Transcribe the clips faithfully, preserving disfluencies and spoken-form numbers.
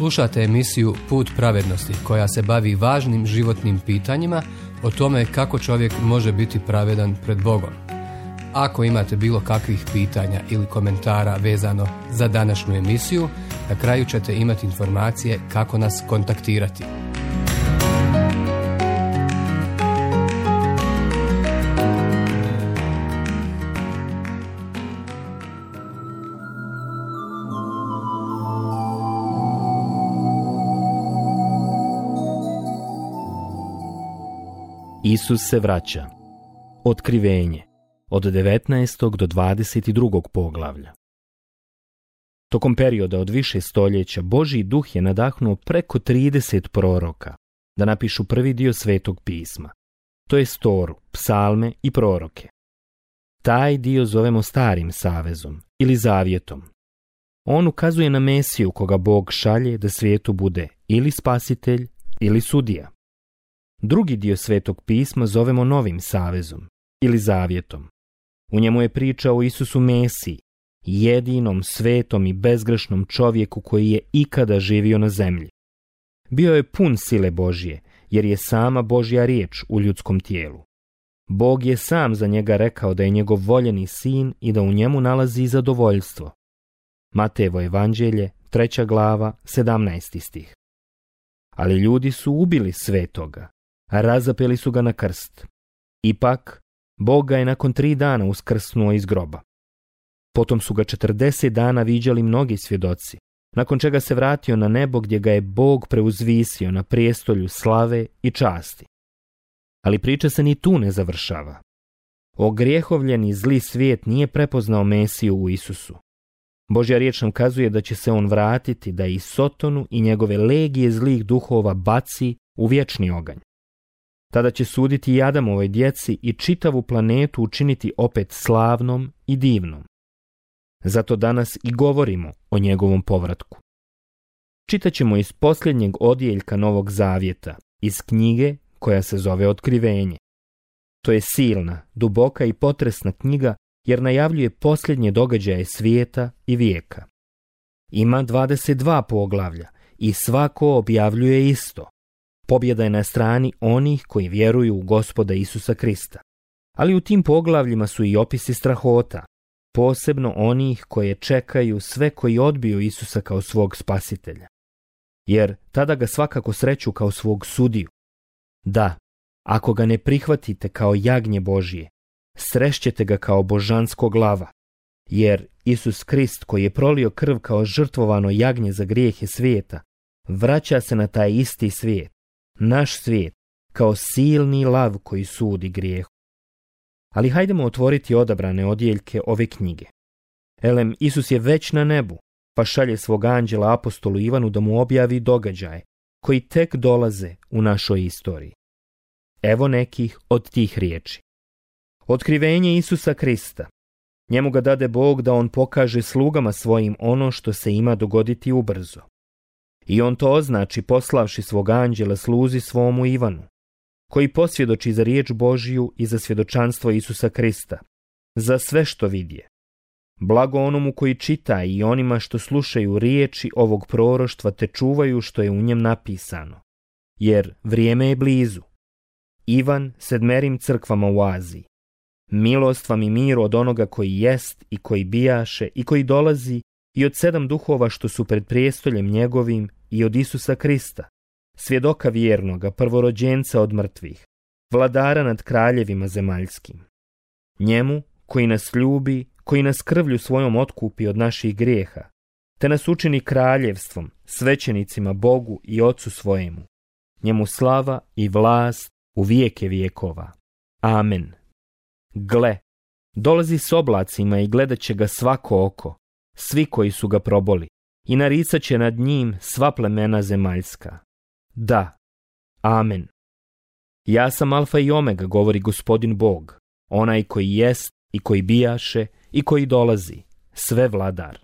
Slušate emisiju Put pravednosti koja se bavi važnim životnim pitanjima o tome kako čovjek može biti pravedan pred Bogom. Ako imate bilo kakvih pitanja ili komentara vezano za današnju emisiju, na kraju ćete imati informacije kako nas kontaktirati. Isus se vraća. Otkrivenje. Od devetnaestog do dvadeset drugog poglavlja. Tokom perioda od više stoljeća Božji duh je nadahnuo preko trideset proroka da napišu prvi dio Svetog pisma, to je Toru, psalme i proroke. Taj dio zovemo Starim savezom ili Zavjetom. On ukazuje na Mesiju koga Bog šalje da svijetu bude ili spasitelj ili sudija. Drugi dio Svetog pisma zovemo Novim savezom ili Zavjetom. U njemu je priča o Isusu Mesiji, jedinom svetom i bezgrešnom čovjeku koji je ikada živio na zemlji. Bio je pun sile Božje, jer je sama Božja riječ u ljudskom tijelu. Bog je sam za njega rekao da je njegov voljeni sin i da u njemu nalazi zadovoljstvo. Matejevo evanđelje, treća glava, sedamnaesti stih. Ali ljudi su ubili svetoga, a razapeli su ga na krst. Ipak, Bog ga je nakon tri dana uskrsnuo iz groba. Potom su ga četrdeset dana viđali mnogi svjedoci, nakon čega se vratio na nebo gdje ga je Bog preuzvisio na prijestolju slave i časti. Ali priča se ni tu ne završava. Ogrijehovljeni zli svijet nije prepoznao Mesiju u Isusu. Božja riječ nam kazuje da će se on vratiti da i Sotonu i njegove legije zlih duhova baci u vječni oganj. Tada će suditi i Adamovoj djeci i čitavu planetu učiniti opet slavnom i divnom. Zato danas i govorimo o njegovom povratku. Čitat ćemo iz posljednjeg odjeljka Novog Zavjeta, iz knjige koja se zove Otkrivenje. To je silna, duboka i potresna knjiga jer najavljuje posljednje događaje svijeta i vijeka. Ima dvadeset dva poglavlja i svako objavljuje isto. Pobjeda je na strani onih koji vjeruju u Gospoda Isusa Krista. Ali u tim poglavljima su i opisi strahota, posebno onih koje čekaju sve koji odbiju Isusa kao svog spasitelja. Jer tada ga svakako sreću kao svog sudiju. Da, ako ga ne prihvatite kao jagnje Božje, srešćete ga kao božanskog lava. Jer Isus Krist koji je prolio krv kao žrtvovano jagnje za grijehe svijeta, vraća se na taj isti svijet, naš svijet, kao silni lav koji sudi grijehu. Ali hajdemo otvoriti odabrane odjeljke ove knjige. Elem, Isus je već na nebu, pa šalje svog anđela apostolu Ivanu da mu objavi događaje koji tek dolaze u našoj istoriji. Evo nekih od tih riječi. Otkrivenje Isusa Krista. Njemu ga dade Bog da on pokaže slugama svojim ono što se ima dogoditi ubrzo. I on to označi poslavši svog anđela sluzi svomu Ivanu, koji posvjedoči za riječ Božju i za svjedočanstvo Isusa Krista, za sve što vidje. Blago onomu koji čita i onima što slušaju riječi ovog proroštva te čuvaju što je u njem napisano, jer vrijeme je blizu. Ivan sedmerim crkvama u Aziji. Milost vam i mir od onoga koji jest i koji bijaše i koji dolazi i od sedam duhova što su pred prijestoljem njegovim i od Isusa Krista, svjedoka vjernoga, prvorođenca od mrtvih, vladara nad kraljevima zemaljskim. Njemu koji nas ljubi, koji nas krvlju svojom otkupi od naših grijeha, te nas učini kraljevstvom, svećenicima Bogu i Otcu svojemu. Njemu slava i vlast u vijeke vijekova. Amen. Gle, dolazi s oblacima i gledat će ga svako oko, svi koji su ga proboli, i naricat će nad njim sva plemena zemaljska. Da, amen. Ja sam Alfa i Omega, govori Gospodin Bog, onaj koji jest i koji bijaše i koji dolazi, sve vladar.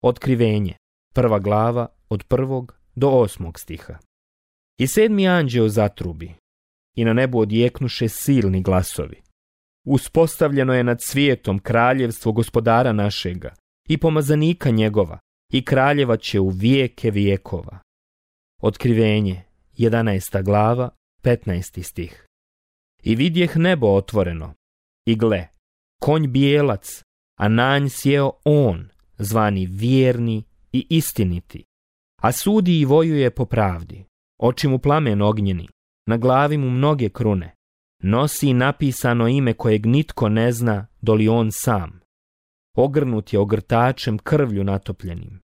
Otkrivenje, prva glava, od prvog do osmog stiha. I sedmi anđeo zatrubi, i na nebu odjeknuše silni glasovi. Uspostavljeno je nad svijetom kraljevstvo Gospodara našega i pomazanika njegova, i kraljevat će u vijeke vijekova. Otkrivenje, jedanaesta glava, petnaesti stih. I vidjeh nebo otvoreno, i gle, konj bijelac, a na nj sjeo on, zvani vjerni i istiniti, a sudi i vojuje po pravdi. Oči mu plamen ognjeni, na glavi mu mnoge krune, nosi napisano ime kojeg nitko ne zna, doli on sam. Ogrnut je ogrtačem krvlju natopljenim.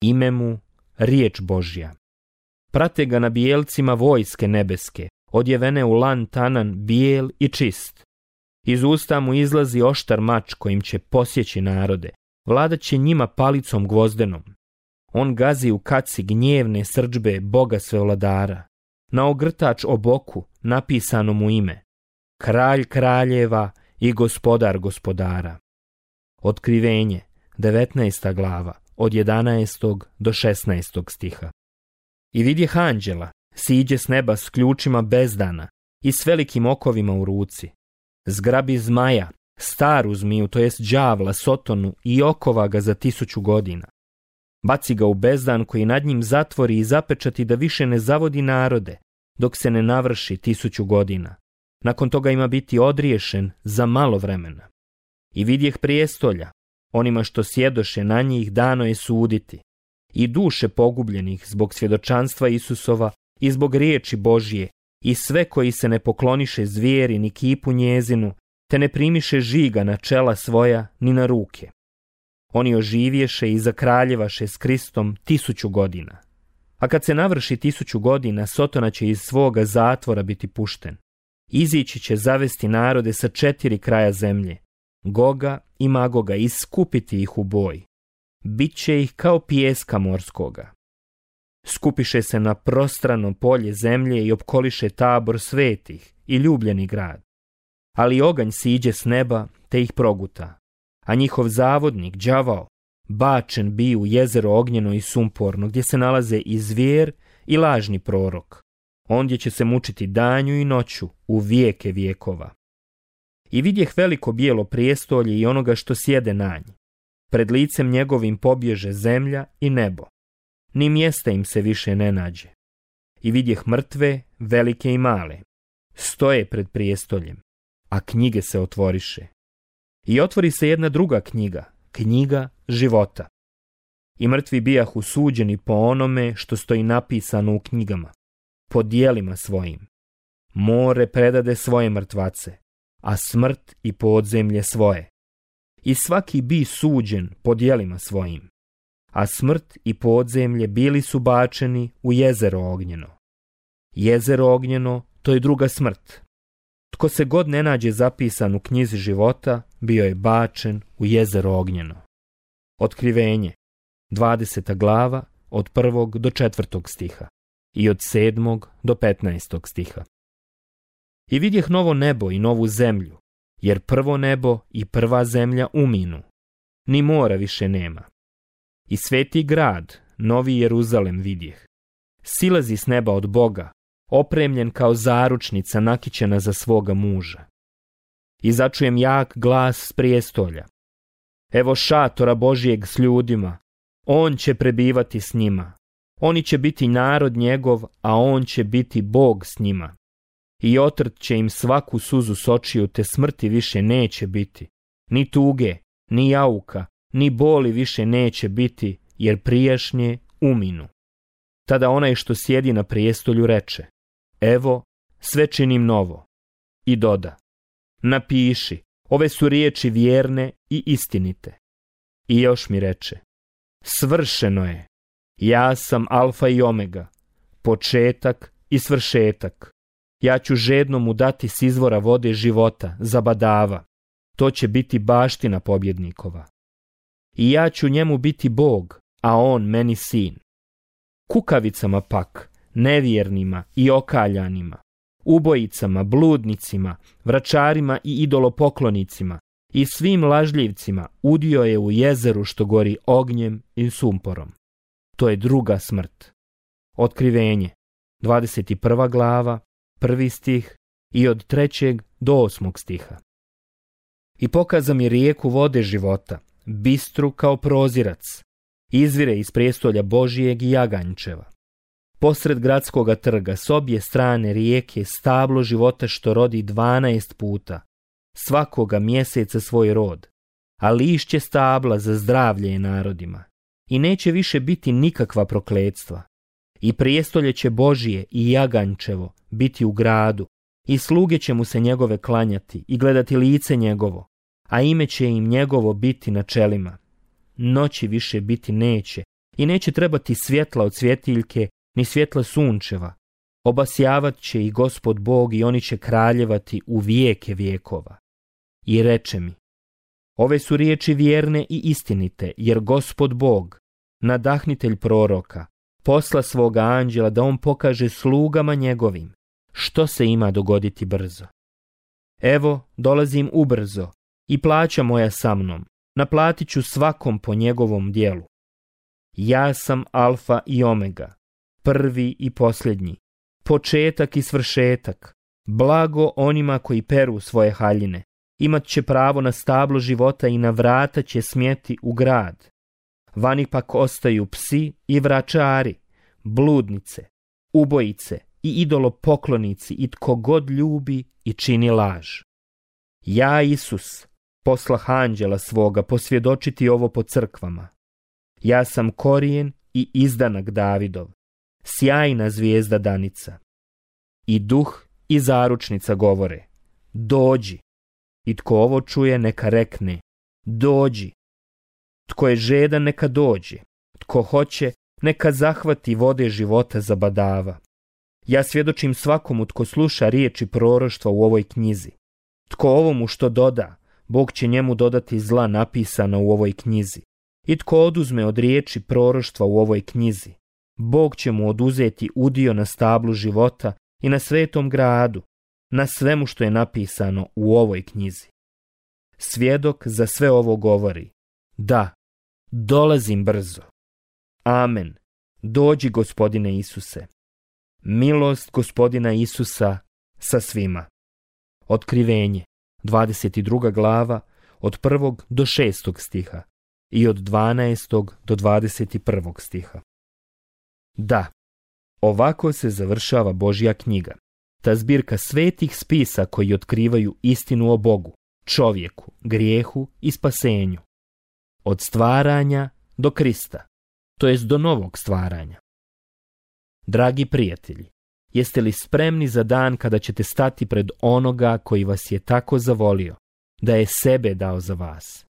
Ime mu riječ Božja. Prate ga na bijelcima vojske nebeske, odjevene u lan tanan bijel i čist. Iz usta mu izlazi oštar mač kojim će posjeći narode, vladat će njima palicom gvozdenom. On gazi u kaci gnjevne srdžbe Boga svevladara. Na ogrtač o boku napisano mu ime, kralj kraljeva i gospodar gospodara. Otkrivenje, devetnaesta glava, od jedanaestog do šesnaestog stiha. I vidjeh anđela, siđe s neba s ključima bezdana i s velikim okovima u ruci. Zgrabi zmaja, staru zmiju, to jest đavla, Sotonu, i okova ga za tisuću godina. Baci ga u bezdan koji nad njim zatvori i zapečati da više ne zavodi narode, dok se ne navrši tisuću godina. Nakon toga ima biti odriješen za malo vremena. I vidjeh prijestolja, onima što sjedoše na njih dano je suditi, i duše pogubljenih zbog svjedočanstva Isusova i zbog riječi Božje, i sve koji se ne pokloniše zvijeri ni kipu njezinu, te ne primiše žiga na čela svoja ni na ruke. Oni oživješe i zakraljevaše s Kristom tisuću godina. A kad se navrši tisuću godina, Sotona će iz svoga zatvora biti pušten. Izići će zavesti narode sa četiri kraja zemlje, Goga i Magoga, i skupiti ih u boj. Biće ih kao pijeska morskoga. Skupiše se na prostrano polje zemlje i opkoliše tabor svetih i ljubljeni grad. Ali oganj siđe s neba te ih proguta, a njihov zavodnik, đavao, bačen bi u jezero ognjeno i sumporno, gdje se nalaze i zvijer i lažni prorok. Ondje će se mučiti danju i noću u vijeke vijekova. I vidjeh veliko bijelo prijestolje i onoga što sjede na nj. Pred licem njegovim pobježe zemlja i nebo. Ni mjesta im se više ne nađe. I vidjeh mrtve, velike i male. Stoje pred prijestoljem, a knjige se otvoriše. I otvori se jedna druga knjiga, knjiga života. I mrtvi bijahu suđeni po onome što stoji napisano u knjigama, po dijelima svojim. More predade svoje mrtvace, a smrt i podzemlje svoje. I svaki bi suđen po dijelima svojim, a smrt i podzemlje bili su bačeni u jezero ognjeno. Jezero ognjeno, to je druga smrt. Tko se god ne nađe zapisan u knjizi života, bio je bačen u jezero ognjeno. Otkrivenje, dvadeseta glava, od prvog do četvrtog stiha i od sedmog do petnaestog stiha. I vidjeh novo nebo i novu zemlju, jer prvo nebo i prva zemlja uminu, ni mora više nema. I sveti grad, novi Jeruzalem vidjeh, silazi s neba od Boga, opremljen kao zaručnica nakićena za svoga muža. I začujem jak glas s prijestolja. Evo šatora Božijeg s ljudima, on će prebivati s njima. Oni će biti narod njegov, a on će biti Bog s njima. I otrt će im svaku suzu s očiju, te smrti više neće biti. Ni tuge, ni jauka, ni boli više neće biti, jer prijašnje uminu. Tada onaj što sjedi na prijestolju reče, evo, sve činim novo. I doda, napiši, ove su riječi vjerne i istinite. I još mi reče, svršeno je, ja sam alfa i omega, početak i svršetak. Ja ću žedno mu dati s izvora vode života, zabadava, to će biti baština pobjednikova. I ja ću njemu biti Bog, a on meni sin. Kukavicama pak, nevjernima i okaljanima, ubojicama, bludnicima, vračarima i idolopoklonicima i svim lažljivcima udio je u jezeru što gori ognjem i sumporom. To je druga smrt. Otkrivenje, dvadeset prva glava, prvi stih i od trećeg do osmog stiha. I pokaza mi rijeku vode života, bistru kao prozirac, izvire iz prijestolja Božijeg i jaganjčeva. Posred gradskoga trga s obje strane rijeke stablo života što rodi dvanaest puta, svakoga mjeseca svoj rod, a lišće stabla za zdravlje je narodima. I neće više biti nikakva prokletstva. I prijestolje će Božije i jaganjčevo biti u gradu, i sluge će mu se njegove klanjati i gledati lice njegovo, a ime će im njegovo biti na čelima. Noći više biti neće, i neće trebati svjetla od svjetiljke, ni svjetla sunčeva. Obasjavat će i Gospod Bog i oni će kraljevati u vijeke vijekova. I reče mi, ove su riječi vjerne i istinite, jer Gospod Bog, nadahnitelj proroka, posla svoga anđela da on pokaže slugama njegovim što se ima dogoditi brzo. Evo, dolazim ubrzo i plaća moja sa mnom, naplatit ću svakom po njegovom djelu. Ja sam Alfa i Omega, prvi i posljednji, početak i svršetak, blago onima koji peru svoje haljine, imat će pravo na stablo života i na vrata će smjeti u grad. Vani pak ostaju psi i vračari, bludnice, ubojice i idolopoklonici i tko god ljubi i čini laž. Ja, Isus, poslah anđela svoga posvjedočiti ovo po crkvama. Ja sam korijen i izdanak Davidov, sjajna zvijezda danica. I duh i zaručnica govore, dođi. I tko ovo čuje neka rekne, dođi. Tko je žedan neka dođe, tko hoće neka zahvati vode života za badava. Ja svjedočim svakomu tko sluša riječi proroštva u ovoj knjizi. Tko ovomu što doda, Bog će njemu dodati zla napisana u ovoj knjizi. I tko oduzme od riječi proroštva u ovoj knjizi, Bog će mu oduzeti udio na stablu života i na svetom gradu, na svemu što je napisano u ovoj knjizi. Svjedok za sve ovo govori, da, dolazim brzo. Amen. Dođi, Gospodine Isuse. Milost Gospodina Isusa sa svima. Otkrivenje, dvadeset druga glava, od prvog do šestog stiha i od dvanaestog do dvadeset prvog stiha. Da, ovako se završava Božja knjiga, ta zbirka svetih spisa koji otkrivaju istinu o Bogu, čovjeku, grijehu i spasenju. Od stvaranja do Krista, to jest do novog stvaranja. Dragi prijatelji, jeste li spremni za dan kada ćete stati pred onoga koji vas je tako zavolio, da je sebe dao za vas?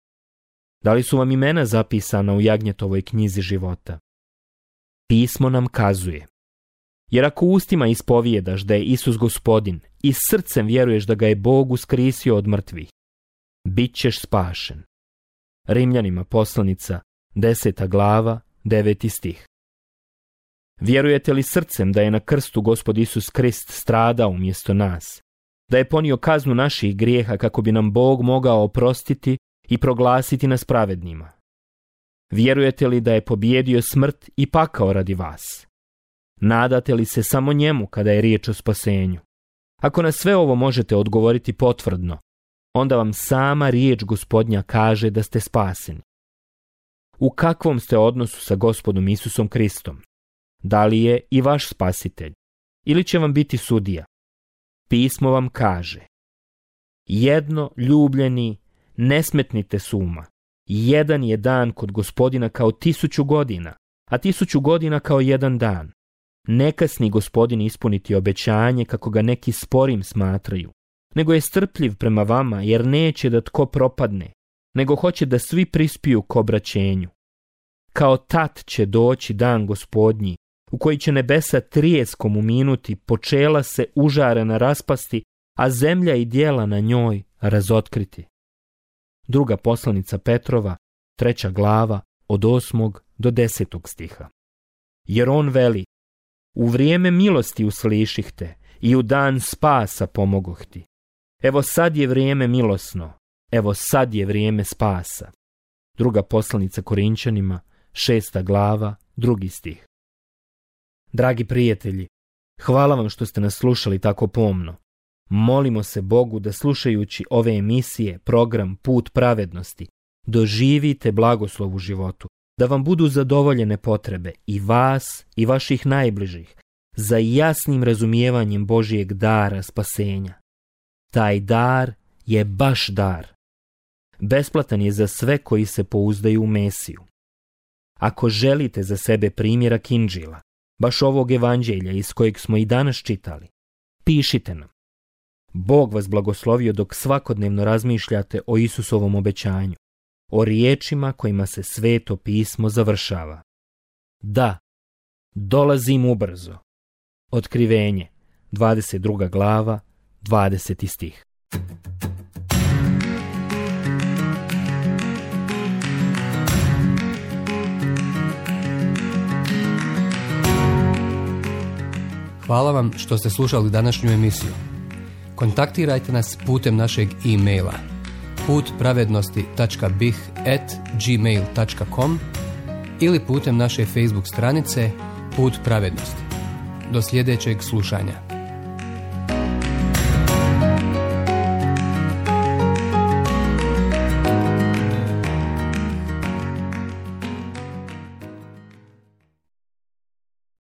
Da li su vam imena zapisana u Jagnjetovoj knjizi života? Pismo nam kazuje, jer ako ustima ispovijedaš da je Isus Gospodin i srcem vjeruješ da ga je Bog uskrisio od mrtvih, bit ćeš spašen. Rimljanima poslanica, deseta glava, deveti stih. Vjerujete li srcem da je na krstu Gospod Isus Krist stradao umjesto nas, da je ponio kaznu naših grijeha kako bi nam Bog mogao oprostiti i proglasiti nas pravednima? Vjerujete li da je pobijedio smrt i pakao radi vas? Nadate li se samo njemu kada je riječ o spasenju? Ako na sve ovo možete odgovoriti potvrdno, onda vam sama riječ Gospodnja kaže da ste spaseni. U kakvom ste odnosu sa Gospodom Isusom Kristom? Da li je i vaš spasitelj? Ili će vam biti sudija? Pismo vam kaže, jedno, ljubljeni, ne smetnite s uma. Jedan je dan kod Gospodina kao tisuću godina, a tisuću godina kao jedan dan. Ne kasni Gospodin ispuniti obećanje kako ga neki sporim smatraju, nego je strpljiv prema vama jer neće da tko propadne, nego hoće da svi prispiju k obraćenju. Kao tat će doći dan Gospodnji, u koji će nebesa trijeskom uminuti, počela se užarena raspasti, a zemlja i djela na njoj razotkriti. Druga poslanica Petrova, treća glava, od osmog do desetog stiha. Jer on veli, u vrijeme milosti usliših te i u dan spasa pomogoh ti. Evo sad je vrijeme milosno, evo sad je vrijeme spasa. Druga poslanica Korinčanima, šesta glava, drugi stih. Dragi prijatelji, hvala vam što ste nas slušali tako pomno. Molimo se Bogu da slušajući ove emisije, program Put pravednosti, doživite blagoslov u životu da vam budu zadovoljene potrebe i vas i vaših najbližih za jasnim razumijevanjem Božijeg dara spasenja. Taj dar je baš dar. Besplatan je za sve koji se pouzdaju u Mesiju. Ako želite za sebe primjerak Inđila, baš ovog evanđelja iz kojeg smo i danas čitali, pišite nam. Bog vas blagoslovio dok svakodnevno razmišljate o Isusovom obećanju, o riječima kojima se Sveto pismo završava. Da, dolazim ubrzo. Otkrivenje, dvadeset druga glava, dvadeseti stih. Hvala vam što ste slušali današnju emisiju. Kontaktirajte nas putem našeg e-maila put pravednosti tačka b i h at gmail tačka com ili putem naše Facebook stranice Put pravednosti. Do sljedećeg slušanja.